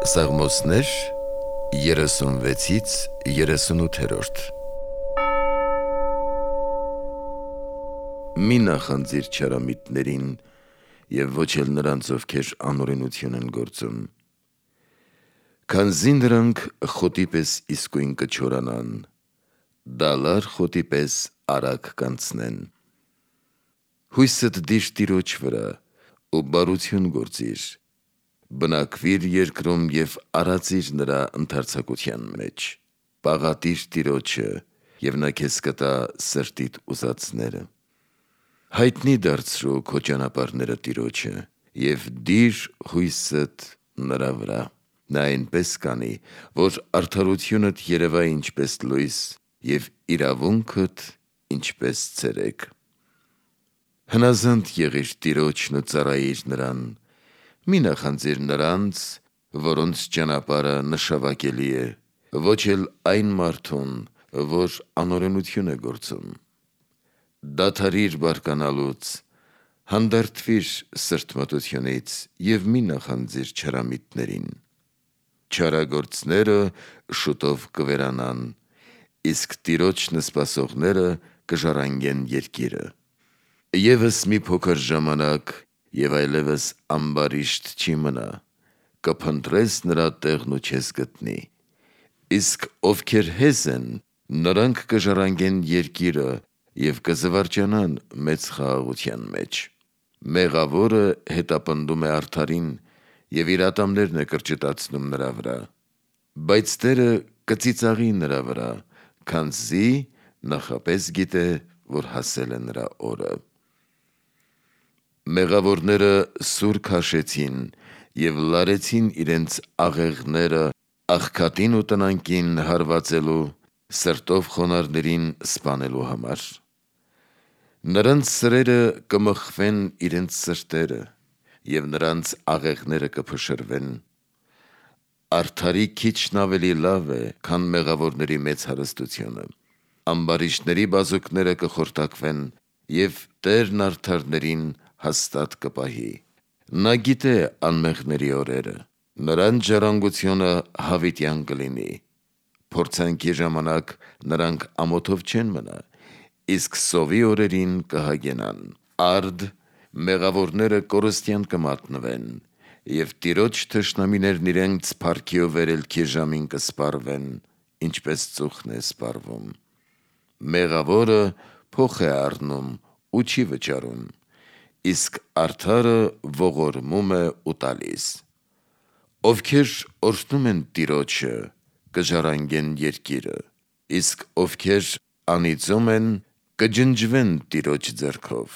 Սաղմոսներ 36-ից 38-րդ Մի նախանձիր չարամիտներին և ոչ էլ նրանց, ովքեր անօրենություն են գործում, քանզի նրանք խոտի պես իսկույն կչորանան, դալար խոտի պես արագ կանցնեն։ Հույսդ դիր Տիրոջ վրա ու բարություն գործիր, բնակվիր երկրում և արածիր նրա ընդարձակության մեջ, պաղատիր Տիրոջը և նա քեզ կտա սրտիդ ուզածները։ Հայտնի դարձրու քո ճանապարհները Տիրոջը և դիր հույսդ նրա վրա, նա այնպես կանի, որ արդարությունդ երևա ինչպես լույս և իրավունքդ ինչպես ցերեկ։ Հնազանդ եղիր Տիրոջն ու ծառայիր նրան, մի նախանձիր նրանց, որոնց ճանապարհը նշավակելի է, ոչ էլ այն մարդուն, որ անօրենություն է գործում։ Դադարիր բարկանալուց, հանդարտվիր սրտմտությունից և մի նախանձիր չարամիտներին։ Չարագործները շուտով կվերանան, իսկ Տիրոջն սպասողները կժառանգեն երկիրը։ Եվս մի փոքր ժամանակ և այլևս ամբարիշտ չի մնա, կփնտրես նրա տեղն ու չես գտնի։ Իսկ ովքեր հեզ են, նրանք կժառանգեն երկիրը և կզվարճանան մեծ խաղաղության մեջ։ Մեղավորը հետապնդում է արդարին և իր ատամներն է կրճտացնում նրա վրա, բայց Տերը կծիծաղի նրա վրա, քանզի նախապես գիտե, որ հասել է նրա օրը։ Մեղավորները սուր քաշեցին և լարեցին իրենց աղեղները աղքատին ու տնանկին հարվածելու, սրտով խոնարհներին սպանելու համար։ Նրանց սրերը կմխվեն իրենց սրտերը և նրանց աղեղները կփշրվեն։ Արդարի քիչն ավելի լավ է, քան մեղավորների մեծ հարստությունը։ Ամբարիշտների բազուկները կխորտակվեն և Տերն արդարներին հաստատ կպահի։ Նա գիտե անմեղների օրերը, նրանց ժառանգությունը հավիտյան կլինի։ Փորձանքի ժամանակ նրանք ամոթով չեն մնա, իսկ սովի օրերին կհագենան։ Արդ մեղավորները կորստյան կմատնվեն, և Տիրոջ թշնամիներն իրենց փառքի ու վերելքի ժամին կսպառվեն, ինչպես ծուխն է սպառվում։ Մեղավորը փոխ է առնում ու չի վճարում, իսկ արդարը ողորմում է ու տալիս։ Ովքեր օրհնում են Տիրոջը, կժառանգեն երկիրը, իսկ ովքեր անիծում են, կջնջվեն Տիրոջ ձեռքով։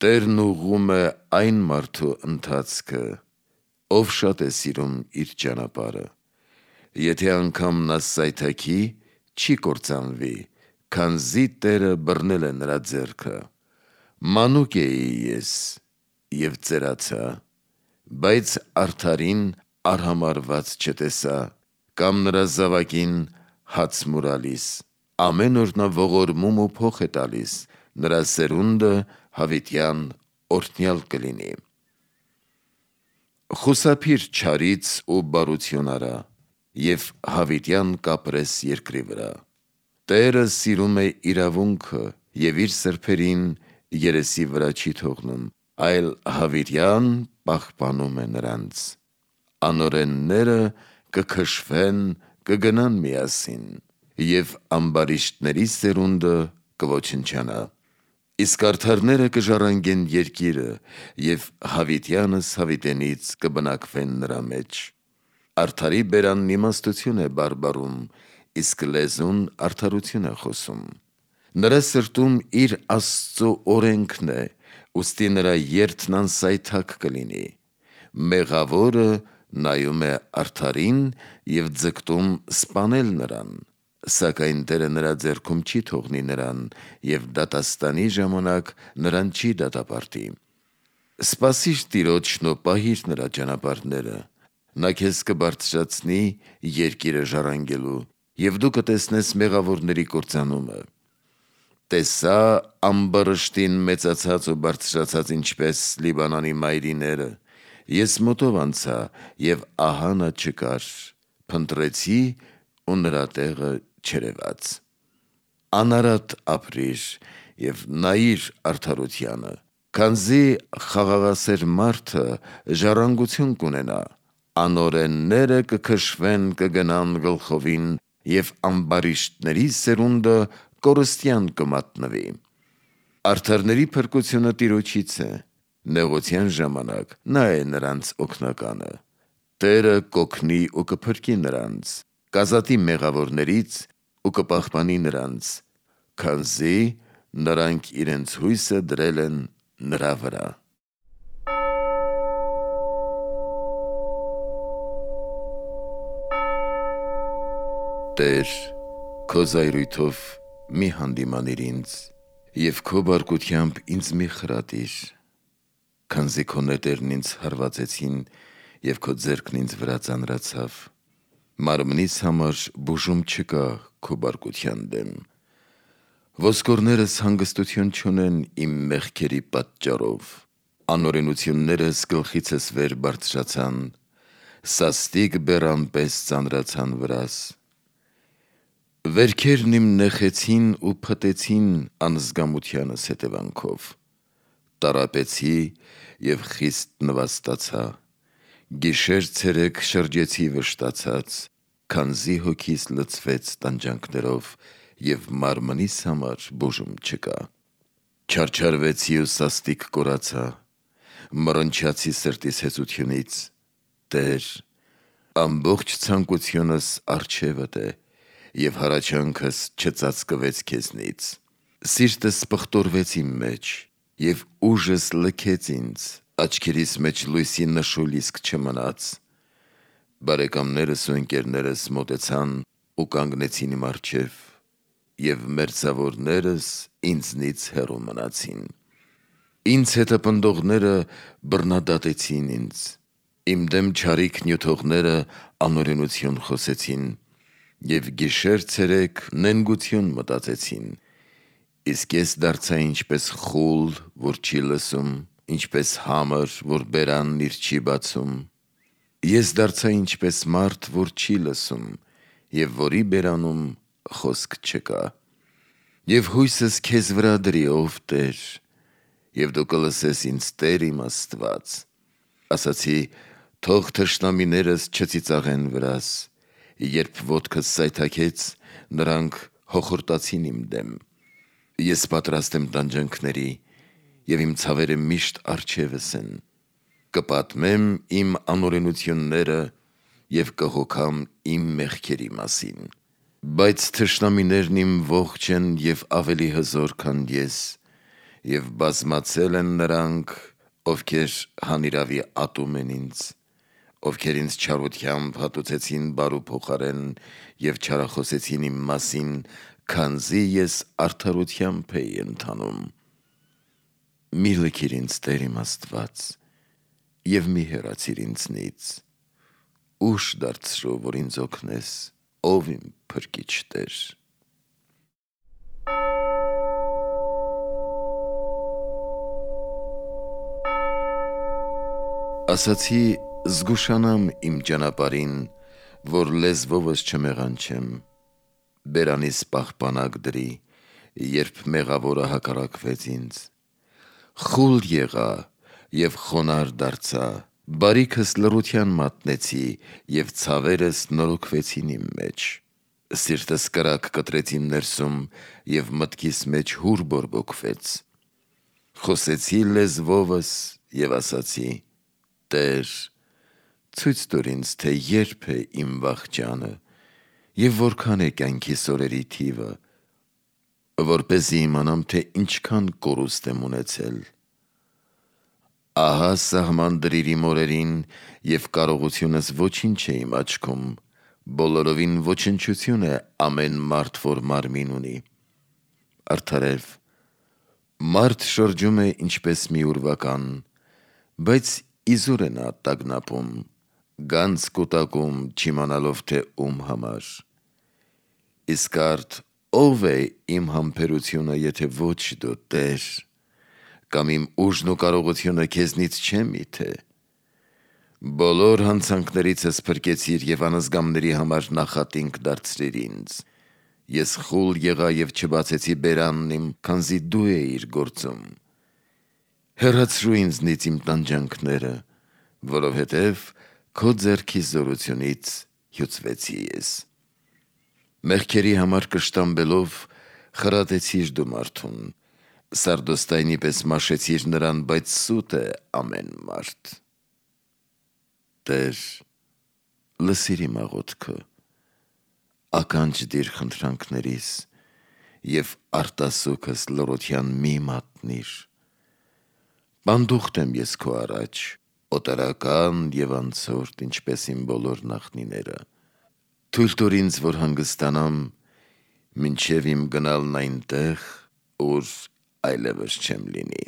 Տերն ուղղում է այն մարդու ընթացքը, ով շատ է սիրում իր ճանապարհը։ Եթե անգամ նա սայթաքի, չի կործանվի, քանզի Տերը բռնել է նրա ձեռքը։ Մանուկ էի ես և ծերացա, բայց արդարին արհամարհված չտեսա, կամ նրա զավակին հաց մուրալիս։ Ամեն օր նա ողորմում ու փոխ է տալիս, նրա սերունդը հավիտյան օրհնյալ կլինի։ Խուսափիր չարից ու բարություն արա և հավիտյան կապրես երկրի վրա։ Տերը սիրում է իրավունքը և իր սրբերին երեսի վրա չի թողնում, այլ հավիտյան պահպանում է նրանց։ Անօրենները կքշվեն, կգնան միասին, և ամբարիշտների սերունդը կոչնչանա։ Իսկ արդարները կժառանգեն երկիրը և հավիտյանս հավիտենից կբնակվեն նրա մեջ։ Արդարի բերանն իմաստություն է բարբառում, իսկ լեզուն արդարություն է խոսում։ Նրա սրտում իր Աստծու օրենքն է, ուստի նրա երդն անսայթակ կլինի։ Մեղավորը նայում է արդարին և ձգտում սպանել նրան, սակայն Տերը նրա ձեռքում չի թողնի նրան և դատաստանի ժամանակ նրան չի դատապարտի։ Սպասիր Տիրոջն ու պահիր նրա ճանապարհները, նա քեզ կբարձրացնի երկիրը ժառանգելու, և դու կտեսնես մեղավորների կործանումը։ տեսա ամբարշտին մեծացած ու բարձրացած ինչպես Լիբանանի մայրիները, ես մոտով անցա և ահա նա չկար, փնտրեցի ու նրա տեղը չերևաց։ Անարատ ապրիր և նայիր արդարությանը, քանզի խաղաղասեր մարդը ժառանգություն կունենա, անօրենները կքշվեն կգնան գլխովին և ամբարիշտների սերունդը կորստյան կմատնվի։ Արդարների փրկությունը Տիրոջից է, նեղության ժամանակ նա է նրանց օգնականը։ Տերը կօգնի ու կփրկի նրանց, կազատի մեղավորներից ու կպահպանի նրանց, քանզի նրանք իրենց հույսը դրել են նրա վրա։ Տեր, քո զայրույթով մի հանդիմանիր ինձ և քո բարկությամբ ինձ մի խրատիր, քանզի քո նետերն ինձ հարվածեցին և քո ձեռքն ինձ վրա ծանրացավ։ Մարմնիս համար բուժում չկա քո բարկության դեմ։ Ոսկորներս հանգստություն չունեն իմ մեղքերի պատճառով, անօրենություններս գլխիցս վեր բարձրացան, սաստիկ բեռան պես ծանրացան վրաս։ Վերքերն իմ նեխեցին ու փտեցին անզգամությանս հետևանքով, տառապեցի և խիստ նվաստացա, գիշեր-ցերեկ շրջեցի վշտացած, քանզի հոգիս լցվեց տանջանքներով և մարմնիս համար բուժում չկա։ Չարչարվեցի ու սաստիկ կորացա, մռնչացի սրտիս հեծությունից։ Տեր, ամբողջ ցանկությունս առջևդ է, և հառաչանքս չծածկվեց քեզնից։ Սիրտս պղտորվեց իմ մեջ, և ուժս լքեց ինձ, աչքերիս մեջ լույսի նշույլ իսկ չմնաց։ Բարեկամներս ու ընկերներս մոտեցան ու կանգնեցին իմ առջև, և մերձավորներս ինձնից հեռու մնացին։ Ինձ հետապնդողները բռնադատեցին ինձ, իմ դեմ չարիք նյութողները անօրենություն խոսեցին և գիշեր-ցերեկ նենգություն մտածեցին։ Իսկ ես դարձա ինչպես խուլ, որ չի լսում, ինչպես համր, որ բերանն իր չի բացում։ Ես դարձա ինչպես մարդ, որ չի լսում, և որի բերանում խոսք չկա։ Եվ հույսս քեզ վրա դրի, ով Տեր, և դու կլսես ինձ, Տեր իմ Աստված։ Ասացի. թող թշնամիներս չծիծաղեն վրաս, երբ ոտքս սայթաքեց, նրանք հոխորտացին իմ դեմ։ Ես պատրաստ եմ տանջանքների, և իմ ցավերը միշտ առջևս են։ Կպատմեմ իմ անօրենությունները և կհոգամ իմ մեղքերի մասին։ Բայց թշնամիներն իմ ողջ են և ավելի հզոր, քան ես, և բազմացել են նրանք, ովքեր հանիրավի ատում են ինձ, ովքեր ինձ չարությամբ հատուցեցին բարու փոխարեն և չարախոսեցին իմ մասին, քանզի ես արդարությամբ էի ընթանում։ Մի լքիր ինձ, Տեր իմ Աստված, և մի հեռացիր ինձնից։ Ուշ դարձրու, որ ինձ օգնես, ով իմ փրկիչ Տեր։ Ասացի. զգուշանամ իմ ճանապարհին, որ լեզվովս չմեղանչեմ, բերանիս պահպանակ դրի, երբ մեղավորը հակառակվեց ինձ։ Խուլ եղա և խոնարհ դարձա, բարիքս լռության մատնեցի, և ցավերս նորոգվեցին իմ մեջ։ Սիրտս կրակ կտրեց իմ ներսում, և մտքիս մեջ հուր բորբոքվեց։ Խոսեցի լեզվովս և ասացի. Տեր, ցույց տուր ինձ, թե երբ է իմ վախճանը և որքան է կյանքիս օրերի թիվը, որպեսզի իմանամ, թե ինչքան կորուստ եմ ունեցել։ Ահա սահման դրիր իմ օրերին, և կարողությունս ոչինչ է իմ աչքում, բոլորովին ոչնչություն է ամեն մարդ, որ մարմին ունի։ Արդարև, մարդ շրջում է ինչպես մի ուրվական, բայց իզուր է նա տագնապում, գանձ կուտակում, չիմանալով, թե ում համար։ Իսկ արդ ով է իմ համբերությունը, եթե ոչ դու, Տեր, կամ իմ ուժն ու կարողությունը քեզնից չէ միթե։ Բոլոր հանցանքներիցս փրկեցիր և անզգամների համար նախատինք դարձրիր ինձ։ Ես խուլ եղա և չբացեցի բերանն իմ, քանզի դու էիր գործում։ Հեռացրու ինձնից իմ տանջանքները, որովհետև քո ձեռքի զորությունից հյուծվեցի ես։ Մեղքերի համար կշտամբելով խրատեցիր դու մարդուն, սարդոստայնի պես մաշեցիր նրան, բայց սուտ է ամեն մարդ։ Տեր, լսիր իմ աղոթքը, ականջ դիր խնդրանքներիս և արտասուքս լռության մի մատնիր։ Պանդուխտ եմ ես քո առաջ, օտարական և անցորդ, ինչպես իմ բոլոր նախնիները։ Թույլ տուր ինձ, որ հանգստանամ, մինչև իմ գնալն այնտեղ, ուր այլևս չեմ լինի։